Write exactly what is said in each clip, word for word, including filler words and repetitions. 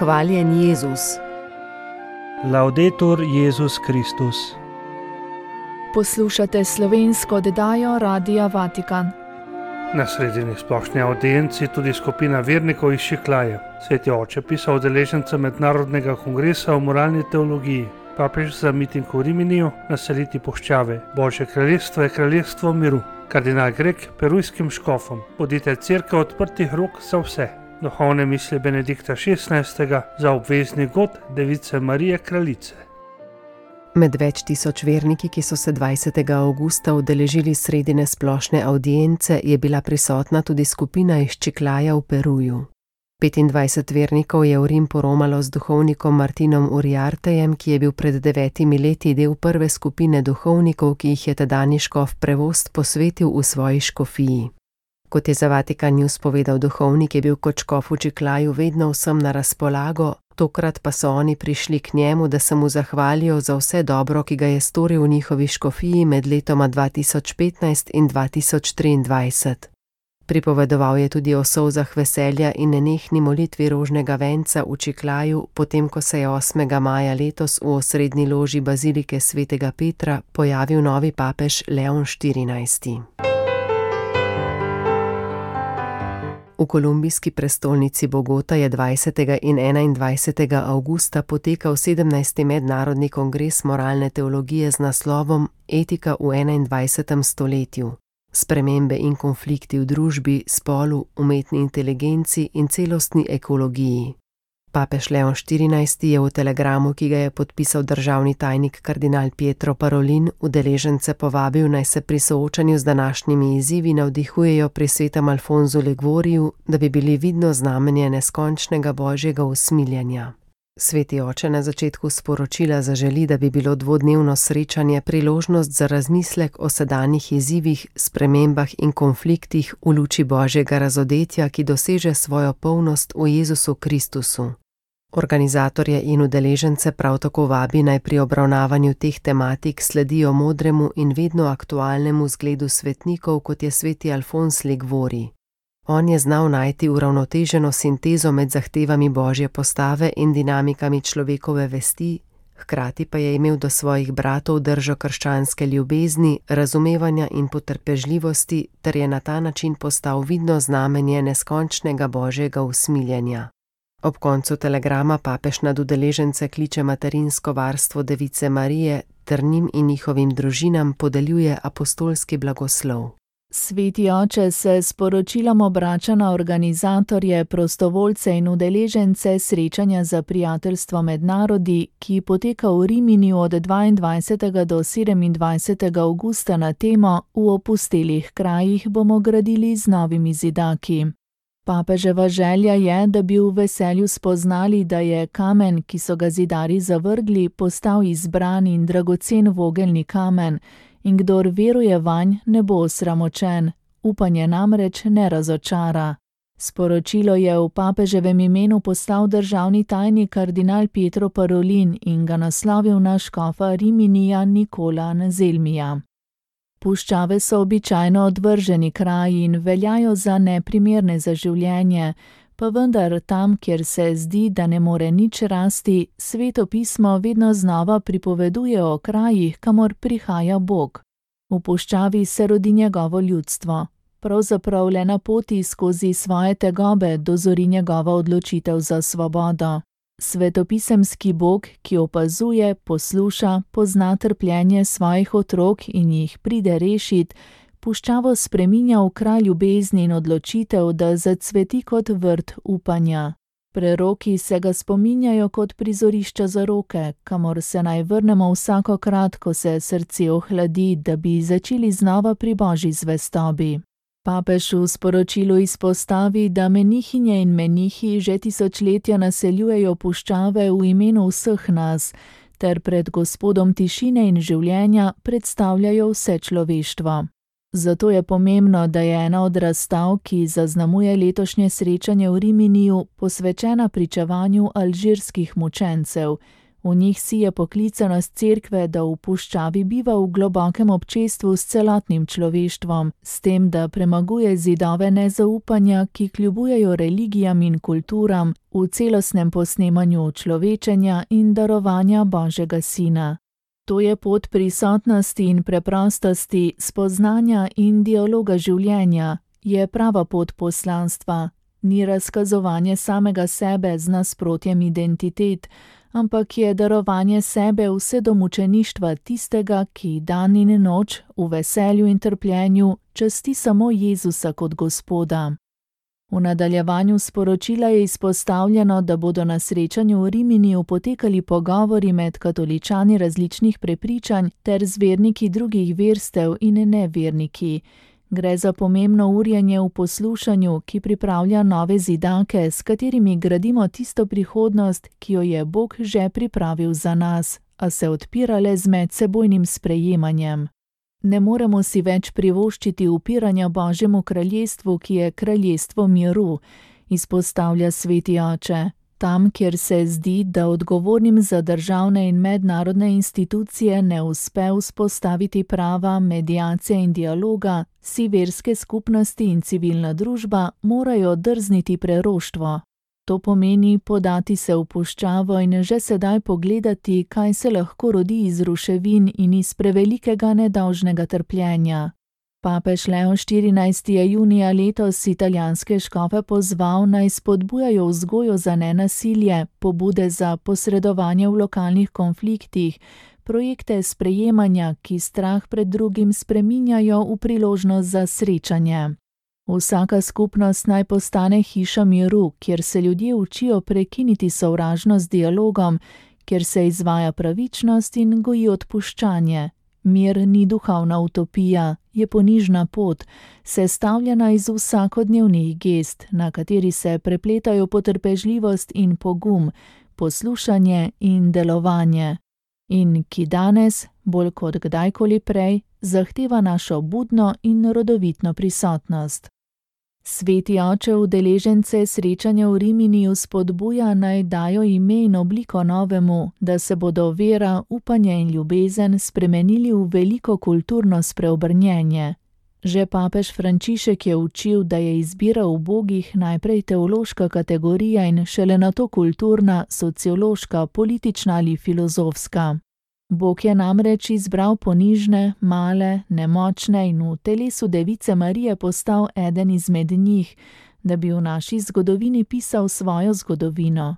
Hvaljen Jezus. Laudetur Jezus Kristus. Poslušate slovensko oddajo Radia Vatikan. Na sredini splošni avdienci tudi skupina vernikov iz Čiklaje. Sveti oče pisal udeležencem mednarodnega kongresa o moralni teologiji. Papež za miting v Riminiju naseliti puščave. Božje kraljestvo je kraljestvo miru. Kardinal Grek perujskim škofom. Bodite cerkev odprtih rok za vse. Duhovne misli Benedikta šestnajstega za obvezni god Device Marije Kraljice. Med več tisoč verniki, ki so se dvajsetega avgusta udeležili sredine splošne avdience, je bila prisotna tudi skupina iz Čiklaja v Peruju. petindvajset vernikov je v Rim poromalo z duhovnikom Martinom Uriartejem, ki je bil pred devetimi leti del prve skupine duhovnikov, ki jih je tedanji škof Prevost posvetil v svoji škofiji. Kot je za Vatikan News povedal duhovnik, je bil kot škof v Čiklaju vedno vsem na razpolago, tokrat pa so oni prišli k njemu, da se mu zahvalijo za vse dobro, ki ga je storil v njihovi škofiji med letoma dva tisoč petnajst in dva tisoč triindvajset. Pripovedoval je tudi o solzah veselja in nenehni molitvi rožnega venca v Čiklaju, potem ko se je osmega maja letos v osrednji loži bazilike svetega Petra pojavil novi papež Leon štirinajsti. V kolumbijski prestolnici Bogota je dvajsetega in enaindvajsetega avgusta potekal sedemnajsti mednarodni kongres moralne teologije z naslovom Etika v enaindvajsetem stoletju. Spremembe in konflikti v družbi, spolu, umetni inteligenci in celostni ekologiji. Papež Leon štirinajsti je v telegramu, ki ga je podpisal državni tajnik kardinal Pietro Parolin, udeležence povabil, naj se pri soočanju z današnjimi izzivi navdihujejo pri svetem Alfonzu Liguoriju, da bi bili vidno znamenje neskončnega božjega usmiljenja. Sveti oče na začetku sporočila zaželi, da bi bilo dvodnevno srečanje priložnost za razmislek o sedanjih izzivih, spremembah in konfliktih v luči božjega razodetja, ki doseže svojo polnost v Jezusu Kristusu. Organizatorje in udeležence prav tako vabi, naj pri obravnavanju teh tematik sledijo modremu in vedno aktualnemu zgledu svetnikov, kot je sveti Alfons Liguori. On je znal najti uravnoteženo sintezo med zahtevami božje postave in dinamikami človekove vesti, hkrati pa je imel do svojih bratov držo krščanske ljubezni, razumevanja in potrpežljivosti, ter je na ta način postal vidno znamenje neskončnega božjega usmiljenja. Ob koncu telegrama papež nad udeležence kliče materinsko varstvo Device Marije ter njim in njihovim družinam podeljuje apostolski blagoslov. Sveti oče se s poročilom obrača na organizatorje, prostovoljce in udeležence srečanja za prijateljstvo med narodi, ki poteka v Riminiju od dvaindvajsetega do sedemindvajsetega avgusta na temo V opustelih krajih bomo gradili z novimi zidaki. Papeževa želja je, da bi v veselju spoznali, da je kamen, ki so ga zidarji zavrgli, postal izbran in dragocen vogelni kamen, in kdor veruje vanj, ne bo osramočen, upanje namreč ne razočara. Sporočilo je v papeževem imenu poslal državni tajnik kardinal Pietro Parolin in ga naslovil na škofa Riminija Nikola Anzelmija. Puščave so običajno odvrženi kraji in veljajo za neprimerne za življenje, pa vendar tam, kjer se zdi, da ne more nič rasti, Sveto pismo vedno znova pripoveduje o krajih, kamor prihaja Bog. V puščavi se rodi njegovo ljudstvo. Pravzaprav le na poti skozi svoje tegobe dozori njegova odločitev za svobodo. Svetopisemski Bog, ki opazuje, posluša, pozna trpljenje svojih otrok in jih pride rešit, puščavo spreminja v kraj ljubezni in odločitev, da zacveti kot vrt upanja. Preroki se ga spominjajo kot prizorišča zaroke, kamor se naj vrnemo vsakokrat, ko se srce ohladi, da bi začeli znova pri božji zvestobi. Papež v sporočilu izpostavi, da menihinje in menihi že tisočletja naseljujejo puščave v imenu vseh nas, ter pred Gospodom tišine in življenja predstavljajo vse človeštvo. Zato je pomembno, da je ena od razstav, ki zaznamuje letošnje srečanje v Riminiju, posvečena pričevanju alžirskih mučencev. V njih sije poklicanost cerkve, da v puščavi biva v globokem občestvu s celotnim človeštvom, s tem, da premaguje zidove nezaupanja, ki kljubujejo religijam in kulturam, v celostnem posnemanju človečenja in darovanja Božjega Sina. To je pot prisotnosti in preprostosti, spoznanja in dialoga življenja, je prava pot poslanstva, ni razkazovanje samega sebe z nasprotjem identitet, ampak je darovanje sebe vse do mučeništva tistega, ki dan in noč v veselju in trpljenju časti samo Jezusa kot Gospoda. V nadaljevanju sporočila je izpostavljeno, da bodo na srečanju v Riminiju potekali pogovori med katoličani različnih prepričanj ter z verniki drugih verstev in neverniki. Gre za pomembno urjenje v poslušanju, ki pripravlja nove zidake, s katerimi gradimo tisto prihodnost, ki jo je Bog že pripravil za nas, a se odpira le z medsebojnim sprejemanjem. Ne moremo si več privoščiti upiranja Božjemu kraljestvu, ki je kraljestvo miru, izpostavlja sveti oče. Tam, kjer se zdi, da odgovornim za državne in mednarodne institucije ne uspe vzpostaviti prava, mediacije in dialoga, si verske skupnosti in civilna družba morajo drzniti preroštvo. To pomeni podati se v puščavo in že sedaj pogledati, kaj se lahko rodi iz ruševin in iz prevelikega nedolžnega trpljenja. Papež Leon štirinajsti je junija letos italijanske škofe pozval, naj spodbujajo vzgojo za nenasilje, pobude za posredovanje v lokalnih konfliktih, projekte sprejemanja, ki strah pred drugim spreminjajo v priložnost za srečanje. Vsaka skupnost naj postane hiša miru, kjer se ljudje učijo prekiniti sovražnost z dialogom, kjer se izvaja pravičnost in goji odpuščanje. Mir ni duhovna utopija, je ponižna pot, sestavljena iz vsakodnevnih gest, na kateri se prepletajo potrpežljivost in pogum, poslušanje in delovanje. In ki danes, bolj kot kdajkoli prej, zahteva našo budno in rodovitno prisotnost. Sveti oče udeležence srečanja v Riminiju spodbuja, naj dajo ime in obliko novemu, da se bodo vera, upanje in ljubezen spremenili v veliko kulturno spreobrnjenje. Že papež Frančišek je učil, da je izbira ubogih najprej teološka kategorija in šele nato kulturna, sociološka, politična ali filozofska. Bog je namreč izbral ponižne, male, nemočne in v telesu Device Marije postal eden izmed njih, da bi v naši zgodovini pisal svojo zgodovino.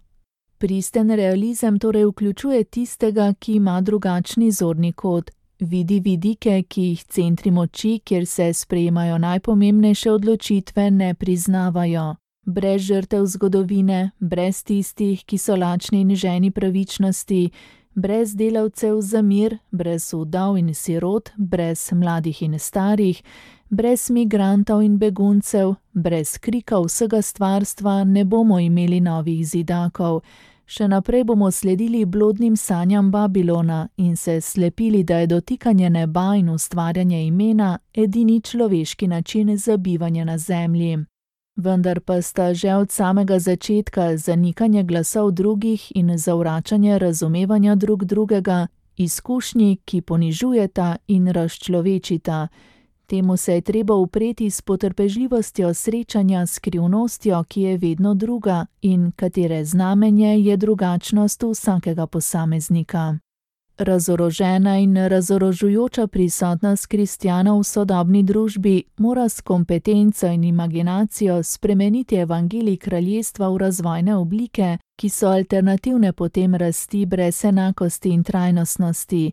Pristen realizem torej vključuje tistega, ki ima drugačni zorni kot, vidi vidike, ki jih centri moči, kjer se sprejemajo najpomembnejše odločitve, ne priznavajo. Brez žrtev zgodovine, brez tistih, ki so lačni in ženi pravičnosti, brez delavcev za mir, brez vdov in sirot, brez mladih in starih, brez migrantov in beguncev, brez krika vsega stvarstva ne bomo imeli novih zidakov. Še naprej bomo sledili blodnim sanjam Babilona in se slepili, da je dotikanje neba in ustvarjanje imena edini človeški način za bivanje na zemlji. Vendar pa sta že od samega začetka zanikanje glasov drugih in zavračanje razumevanja drug drugega izkušnji, ki ponižujeta in razčlovečita. Temu se je treba upreti s potrpežljivostjo srečanja s skrivnostjo, ki je vedno druga in katere znamenje je drugačnost vsakega posameznika. Razorožena in razorožujoča prisotnost kristjanov v sodobni družbi mora s kompetenco in imaginacijo spremeniti evangelij kraljestva v razvojne oblike, ki so alternativne potem rasti brez enakosti in trajnostnosti.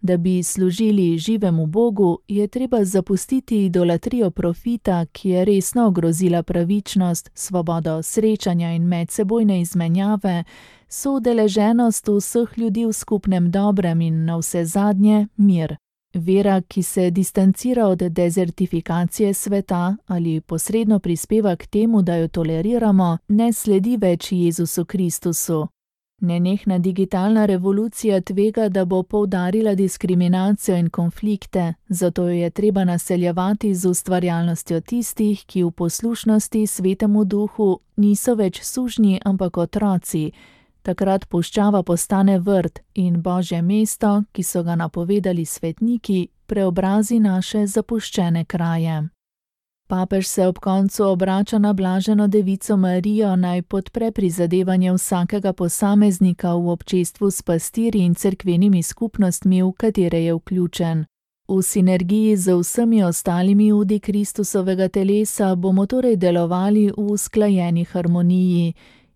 Da bi služili živemu Bogu, je treba zapustiti idolatrijo profita, ki je resno ogrozila pravičnost, svobodo srečanja in medsebojne izmenjave, soudeleženost vseh ljudi v skupnem dobrem in navsezadnje mir. Vera, ki se distancira od dezertifikacije sveta ali posredno prispeva k temu, da jo toleriramo, ne sledi več Jezusu Kristusu. Nenehna digitalna revolucija tvega, da bo poudarila diskriminacijo in konflikte, zato jo je treba naseljevati z ustvarjalnostjo tistih, ki v poslušnosti Svetemu Duhu niso več sužnji, ampak otroci, Takrat puščava postane vrt in Božje mesto, ki so ga napovedali svetniki, preobrazi naše zapuščene kraje. Papež se ob koncu obrača na blaženo devico Marijo, naj podpre prizadevanje vsakega posameznika v občestvu s pastirji in cerkvenimi skupnostmi, v katere je vključen. V sinergiji z vsemi ostalimi udi Kristusovega telesa bomo torej delovali v usklajeni harmoniji.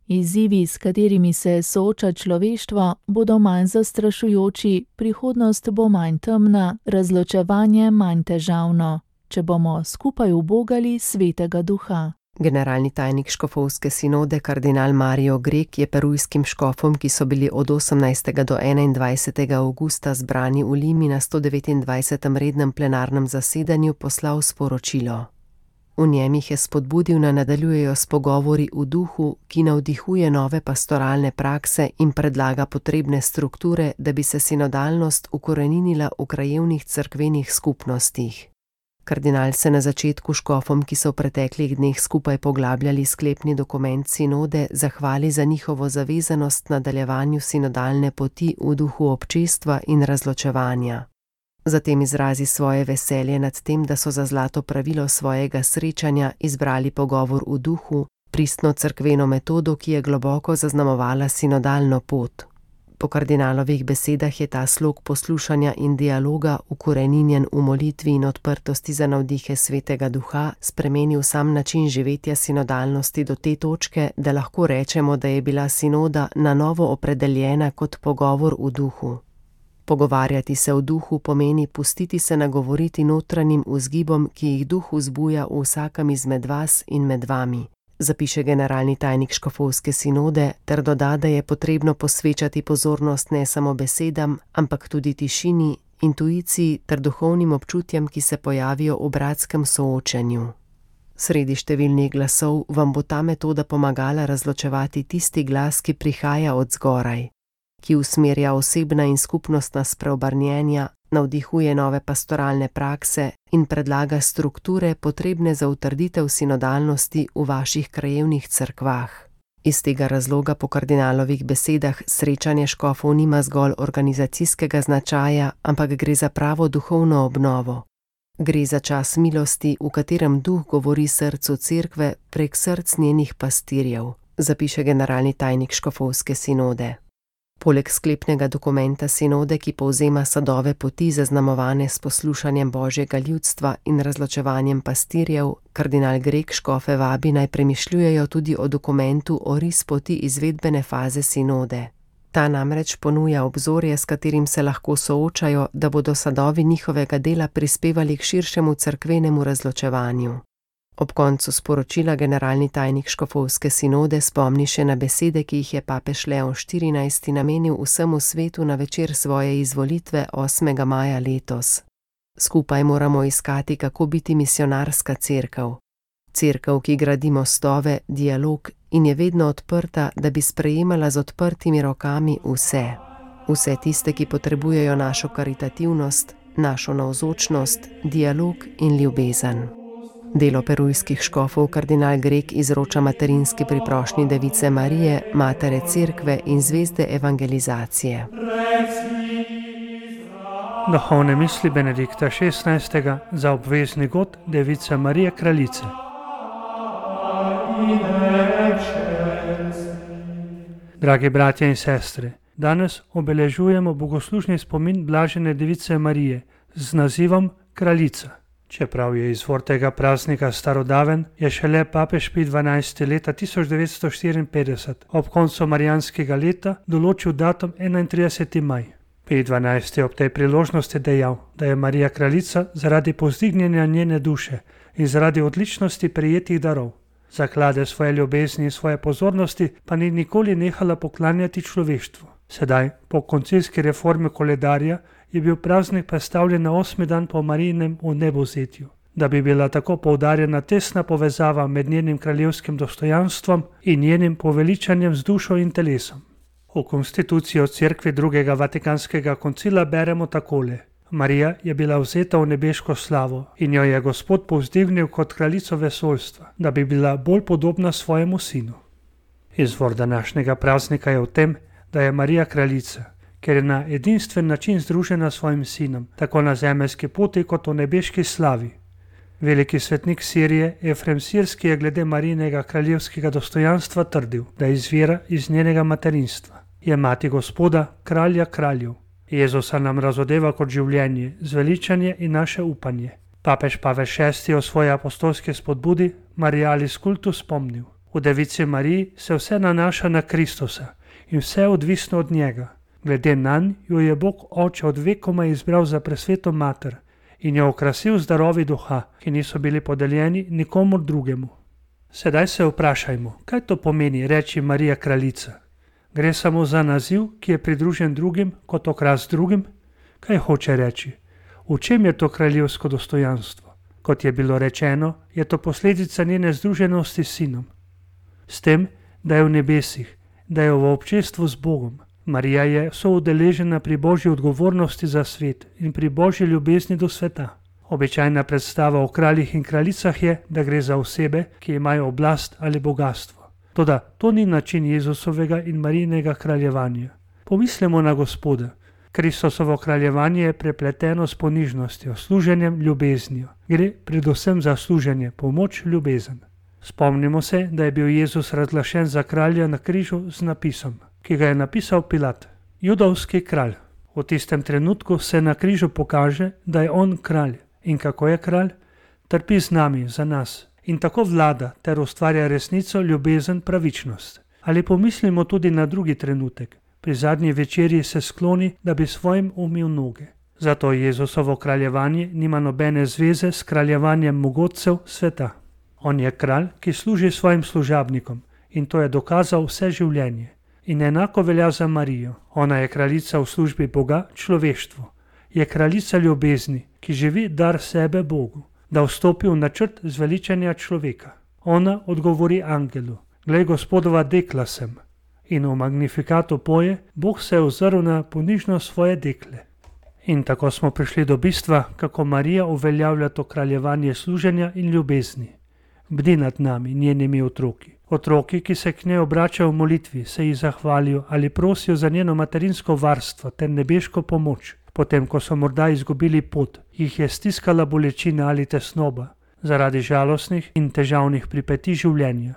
Izzivi, s katerimi se sooča človeštvo, bodo manj zastrašujoči, prihodnost bo manj temna, razločevanje manj težavno, če bomo skupaj ubogali Svetega Duha. Generalni tajnik škofovske sinode kardinal Mario Grek je perujskim škofom, ki so bili od osemnajstega do enaindvajsetega avgusta zbrani v Limi na sto devetindvajsetem rednem plenarnem zasedanju, poslal sporočilo. V njem jih je spodbudil, da nadaljujejo s pogovori v duhu, ki navdihuje nove pastoralne prakse in predlaga potrebne strukture, da bi se sinodalnost ukoreninila v krajevnih cerkvenih skupnostih. Kardinal se na začetku škofom, ki so v preteklih dneh skupaj poglabljali sklepni dokument sinode, zahvali za njihovo zavezanost nadaljevanju sinodalne poti v duhu občestva in razločevanja. Zatem izrazi svoje veselje nad tem, da so za zlato pravilo svojega srečanja izbrali pogovor v duhu, pristno cerkveno metodo, ki je globoko zaznamovala sinodalno pot. Po kardinalovih besedah je ta slog poslušanja in dialoga, ukoreninjen v molitvi in odprtosti za navdihe Svetega Duha, spremenil sam način živetja sinodalnosti do te točke, da lahko rečemo, da je bila sinoda na novo opredeljena kot pogovor v duhu. Pogovarjati se v duhu pomeni pustiti se nagovoriti notranjim vzgibom, ki jih duh vzbuja v vsakem izmed vas in med vami, zapiše generalni tajnik škofovske sinode, ter doda, da je potrebno posvečati pozornost ne samo besedam, ampak tudi tišini, intuiciji ter duhovnim občutjem, ki se pojavijo v bratskem soočenju. Sredi številnih glasov vam bo ta metoda pomagala razločevati tisti glas, ki prihaja od zgoraj, ki usmerja osebna in skupnostna spreobrnjenja, navdihuje nove pastoralne prakse in predlaga strukture potrebne za utrditev sinodalnosti v vaših krajevnih cerkvah. Iz tega razloga po kardinalovih besedah srečanje škofov nima zgolj organizacijskega značaja, ampak gre za pravo duhovno obnovo. Gre za čas milosti, v katerem duh govori srcu cerkve prek src njenih pastirjev, zapiše generalni tajnik škofovske sinode. Poleg sklepnega dokumenta sinode, ki povzema sadove poti zaznamovane s poslušanjem Božjega ljudstva in razločevanjem pastirjev, kardinal Grek škofe vabi naj premišljujejo tudi o dokumentu Oris poti izvedbene faze sinode. Ta namreč ponuja obzorje, s katerim se lahko soočajo, da bodo sadovi njihovega dela prispevali k širšemu cerkvenemu razločevanju. Ob koncu sporočila generalni tajnik škofovske sinode spomni še na besede, ki jih je papež Leon štirinajsti namenil vsemu svetu na večer svoje izvolitve osmega maja letos. Skupaj moramo iskati, kako biti misionarska cerkev. Cerkev, ki gradi mostove, dialog in je vedno odprta, da bi sprejemala z odprtimi rokami vse. Vse tiste, ki potrebujejo našo karitativnost, našo navzočnost, dialog in ljubezen. Delo perujskih škofov kardinal Grek izroča materinski priprošnji Device Marije, matere cerkve in zvezde evangelizacije. Duhovne misli Benedikta šestnajstega za obvezni god Device Marije Kraljice. Dragi bratje in sestre, danes obeležujemo bogoslužni spomin blažene Device Marije z nazivom Kraljica. Čeprav je izvor tega praznika starodaven, je šele papež Pij dvanajsti leta tisoč devetsto štiriinpetdeset ob koncu marijanskega leta določil datum enaintrideseti maj. Pij dvanajsti je ob tej priložnosti dejal, da je Marija kraljica zaradi povzdignjenja njene duše in zaradi odličnosti prejetih darov. Zaklade svoje ljubezni in svoje pozornosti pa ni nikoli nehala poklanjati človeštvu. Sedaj, po koncilski reformi koledarja, je bil praznik predstavljen na osmi dan po Marijinem vnebovzetju, da bi bila tako poudarjena tesna povezava med njenim kraljevskim dostojanstvom in njenim poveličanjem z dušo in telesom. V konstituciji o cerkvi drugega vatikanskega koncila beremo takole: Marija je bila vzeta v nebeško slavo in jo je Gospod povzdignil kot kraljico vesoljstva, da bi bila bolj podobna svojemu sinu. Izvor današnjega praznika je v tem, da je Marija kraljica, ker je na edinstven način združena s svojim sinom, tako na zemeljski poti kot v nebeški slavi. Veliki svetnik Sirije Efrem Sirski je glede Marijinega kraljevskega dostojanstva trdil, da izvira iz njenega materinstva. Je mati Gospoda, kralja kraljev. Jezusa nam razodeva kot življenje, zveličanje in naše upanje. Papež Pavel šesti je o svoji apostolski spodbudi Marialis Cultus spomnil. V Devici Mariji se vse nanaša na Kristusa in vse je odvisno od njega. Glede nanj jo je Bog Oče od vekoma izbral za presveto mater in jo okrasil z darovi duha, ki niso bili podeljeni nikomur drugemu. Sedaj se vprašajmo, kaj to pomeni reči Marija kraljica? Gre samo za naziv, ki je pridružen drugim kot okras drugim? Kaj hoče reči? V čem je to kraljevsko dostojanstvo? Kot je bilo rečeno, je to posledica njene združenosti s sinom. S tem, da je v nebesih, da je v občestvu z Bogom. Marija je soudeležena pri božji odgovornosti za svet in pri božji ljubezni do sveta. Običajna predstava o kraljih in kraljicah je, da gre za osebe, ki imajo oblast ali bogastvo. Toda to ni način Jezusovega in Marijinega kraljevanja. Pomislimo na Gospoda. Kristusovo kraljevanje je prepleteno s ponižnostjo, služenjem, ljubeznijo. Gre predvsem za služenje, pomoč, ljubezen. Spomnimo se, da je bil Jezus razglašen za kralja na križu z napisom, ki ga je napisal Pilat, judovski kralj. V tistem trenutku se na križu pokaže, da je on kralj. In kako je kralj? Trpi z nami, za nas. In tako vlada ter ustvarja resnico, ljubezen, pravičnost. Ali pomislimo tudi na drugi trenutek. Pri zadnji večerji se skloni, da bi svojim umil noge. Zato Jezusovo kraljevanje nima nobene zveze s kraljevanjem mogočcev sveta. On je kralj, ki služi svojim služabnikom in to je dokazal vse življenje. In enako velja za Marijo. Ona je kraljica v službi Boga, človeštvu. Je kraljica ljubezni, ki živi dar sebe Bogu, da vstopi v načrt zveličanja človeka. Ona odgovori angelu, glej, Gospodova dekla sem. In v Magnifikatu poje, Bog se je ozrl na ponižnost svoje dekle. In tako smo prišli do bistva, kako Marija uveljavlja to kraljevanje služenja in ljubezni. Bdi nad nami, njenimi otroki. Otroki, ki se k njej obračajo v molitvi, se ji zahvalijo ali prosijo za njeno materinsko varstvo ter nebeško pomoč. Potem, ko so morda izgubili pot, jih je stiskala bolečina ali tesnoba, zaradi žalostnih in težavnih pripetij življenja.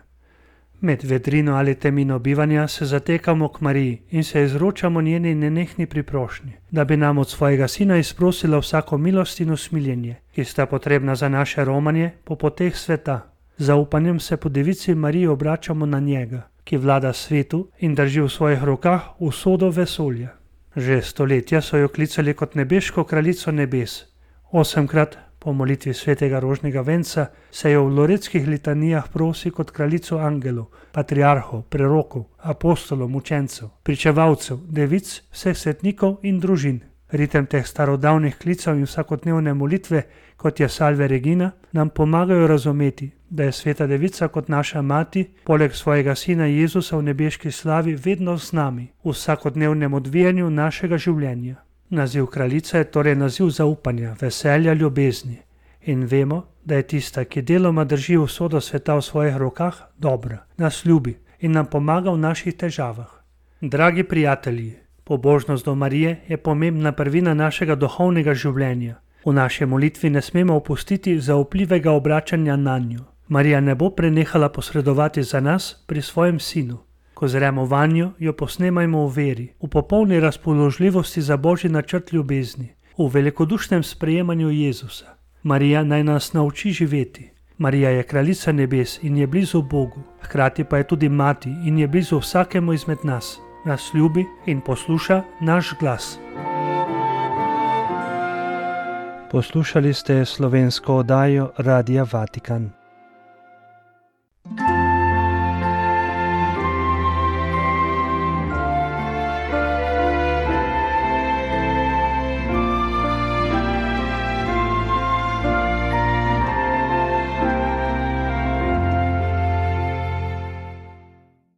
Med vedrino ali temino bivanja se zatekamo k Mariji in se izročamo njeni nenehni priprošnji, da bi nam od svojega sina izprosila vsako milost in usmiljenje, ki sta potrebna za naše romanje po poteh sveta. Zaupanjem se po devici Mariji obračamo na njega, ki vlada svetu in drži v svojih rokah usodo vesolja. Že stoletja so jo klicali kot nebeško kraljico nebes. Osemkrat po molitvi svetega rožnega venca se jo v loretskih litanijah prosi kot kraljico angelov, patriarhov, prerokov, apostolov, mučencev, pričevalcev, devic, vseh svetnikov in družin. Ritem teh starodavnih klicev in vsakodnevne molitve, kot je Salve Regina, nam pomagajo razumeti, da je sveta devica kot naša mati, poleg svojega sina Jezusa v nebeški slavi, vedno z nami, v vsakodnevnem odvijanju našega življenja. Naziv kraljica je torej naziv zaupanja, veselja, ljubezni. In vemo, da je tista, ki deloma drži usodo sveta v svojih rokah, dobra, nas ljubi in nam pomaga v naših težavah. Dragi prijatelji, pobožnost do Marije je pomembna prvina našega duhovnega življenja. V naši molitvi ne smemo opustiti zaupljivega obračanja na njo. Marija ne bo prenehala posredovati za nas pri svojem sinu. Ko zremo vanjo, jo posnemajmo v veri, v popolni razpoložljivosti za božji načrt ljubezni, v velikodušnem sprejemanju Jezusa. Marija naj nas nauči živeti. Marija je kraljica nebes in je blizu Bogu, hkrati pa je tudi mati in je blizu vsakemu izmed nas. Nas ljubi in posluša naš glas. Poslušali ste slovensko oddajo Radia Vatikan.